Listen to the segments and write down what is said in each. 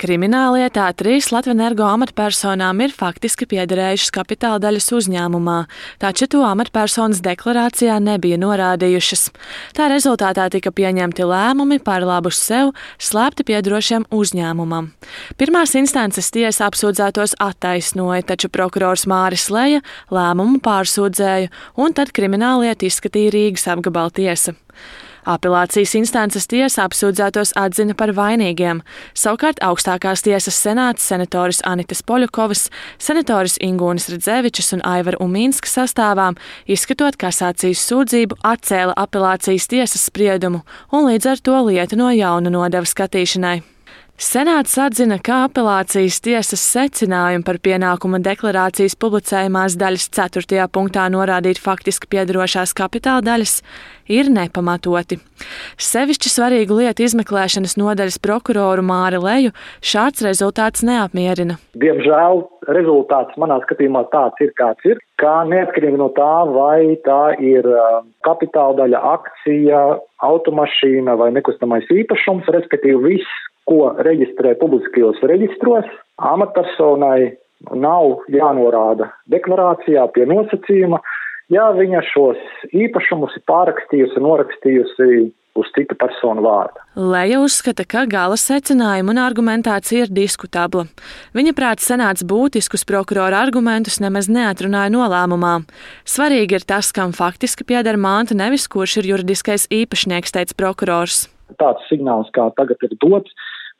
Krimināllietā 3 Latvenergo amatpersonām ir faktiski piederējušas kapitāla daļas uzņēmumā, taču to amatpersonas deklarācijā nebija norādījušas. Tā rezultātā tika pieņemti lēmumi par labu sev slēpti piederošiem uzņēmumam. Pirmās instances tiesa apsūdzētos attaisnoja, taču prokurors Māris Leja lēmumu pārsūdzēja, un tad krimināllietu izskatīja Rīgas apgabala tiesa. Apelācijas instances tiesa apsūdzētos atzina par vainīgiem. Savukārt augstākās tiesas senāts senatoris Anitas Poļakovas, senatoris Ingūnas Redzevičas un Aivara Umīnska sastāvām, izskatot kasācijas sūdzību, atcēla apelācijas tiesas spriedumu un līdz ar to lietu no jauna nodeva skatīšanai. Senāts atzina, ka apelācijas tiesas secinājumi par pienākuma deklarācijas publicējumās daļas 4. punktā norādīt faktiski piederošās kapitāla daļas ir nepamatoti. Sevišķi svarīgu lietu izmeklēšanas nodaļas prokuroru Māri Leju šāds rezultāts neapmierina. Diemžēl rezultāts manā skatījumā tāds ir, kāds ir, kā neatkarīgi no tā, vai tā ir kapitāla daļa, akcija, automašīna vai nekustamais īpašums, respektīvi viss, ko reģistrē publiskajos reģistros, amatpersonai nav jānorāda deklarācijā pie nosacījuma, ja viņa šos īpašumus ir pārrakstījusi un norakstījusi uz citu personu vārdu. Leja uzskata, ka gala secinājuma un argumentācija ir diskutabla. Viņa prāt senāts būtiskus prokurora argumentus nemaz neatrunāja nolēmumā. Svarīgi ir tas, kam faktiski pieder manta, nevis kurš ir juridiskais īpašnieks, teica prokurors. Tāds signāls, kā tagad ir dots,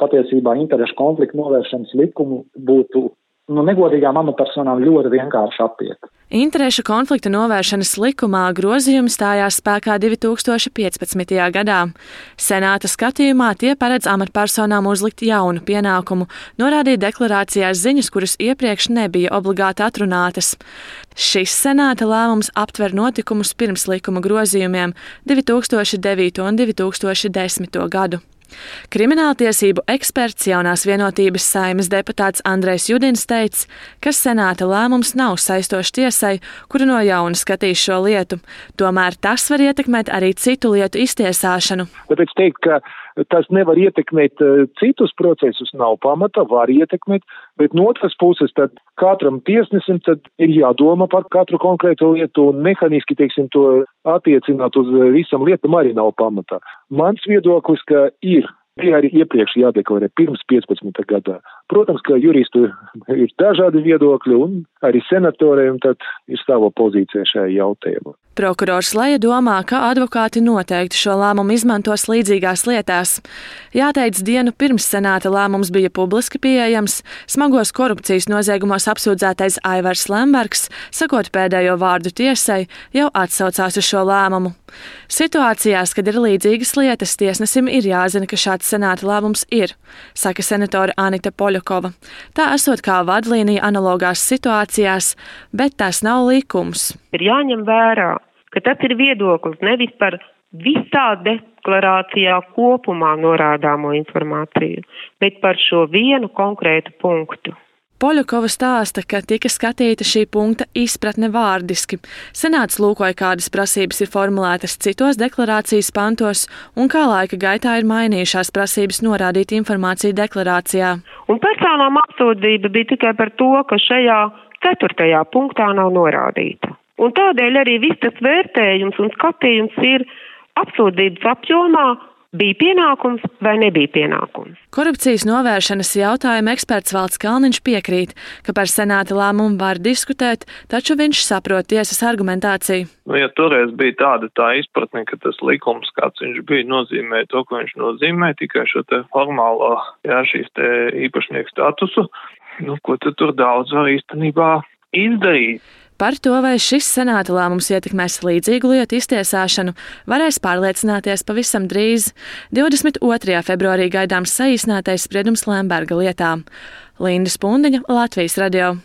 patiesībā interešu konfliktu novēršanas likumu būtu negodīgām amatpersonām ļoti vienkārši apiet. Interešu konflikta novēršanas likumā grozījumi stājās spēkā 2015. gadā. Senāta skatījumā tie paredz amatpersonām uzlikt jaunu pienākumu, norādīt deklarācijās ziņas, kuras iepriekš nebija obligāti atrunātas. Šis senāta lēmums aptver notikumus pirms likuma grozījumiem 2009. un 2010. gadu. Krimināltiesību eksperts Jaunās vienotības Saeimas deputāts Andrejs Judins teica, ka senāta lēmums nav saistošs tiesai, kura no jauna skatīs šo lietu. Tomēr tas var ietekmēt arī citu lietu iztiesāšanu. Tāpēc teikt, ka tas nevar ietekmēt citus procesus, nav pamata, var ietekmēt, bet no otras puses tad katram tiesnesim tad ir jādomā par katru konkrēto lietu un mehaniski, to attiecināt uz visam lietam arī nav pamata. Mans viedoklis, ka bija arī iepriekš jādeklarē pirms 15. gadā. Protams, ka juristu ir dažādi viedokļi un arī senatoriem tad ir sava pozīcija šajā jautājumā. Prokurors Leja domā, ka advokāti noteikti šo lēmumu izmantos līdzīgās lietās. Jāteic, dienu pirms senāta lēmums bija publiski pieejams, smagos korupcijas noziegumos apsūdzētais Aivars Lembergs, sakot pēdējo vārdu tiesai, jau atsaucās uz šo lēmumu. Situācijās, kad ir līdzīgas lietas, tiesnesim ir jāzina, ka šāds senāta lēmums ir, saka senatora Anita Poļakova. Tā esot kā vadlīnija analogās situācijās, bet tas nav likums. Ir jāņem vērā, ka tas ir viedoklis nevis par visā deklarācijā kopumā norādāmo informāciju, bet par šo vienu konkrētu punktu. Poļakova stāsta, ka tika skatīta šī punkta izpratne vārdiski. Senāts lūkoja, kādas prasības ir formulētas citos deklarācijas pantos un kā laika gaitā ir mainījušās prasības norādīt informāciju deklarācijā. Un personām apsūdzība bija tikai par to, ka šajā 4. punktā nav norādīta. Un tādēļ arī viss tas vērtējums un skatījums ir apsūdzības apjomā, bija pienākums vai nebija pienākums. Korupcijas novēršanas jautājuma eksperts Valds Kalniņš piekrīt, ka par senāta lēmumu var diskutēt, taču viņš saprot tiesas argumentāciju. Ja toreiz bija tā izpratne, ka tas likums, kāds viņš bija, nozīmē to, ko viņš nozīmē, tikai šo te formālo, šīs te īpašnieku statusu, ko tad tur daudz var īstenībā izdarīt. Par to, vai šis senāta lēmums ietekmēs līdzīgu lietu iztiesāšanu, varēs pārliecināties pavisam drīz. 22. februārī gaidāms saīsinātais spriedums Lemberga lietā. Linda Spundiņa, Latvijas radio.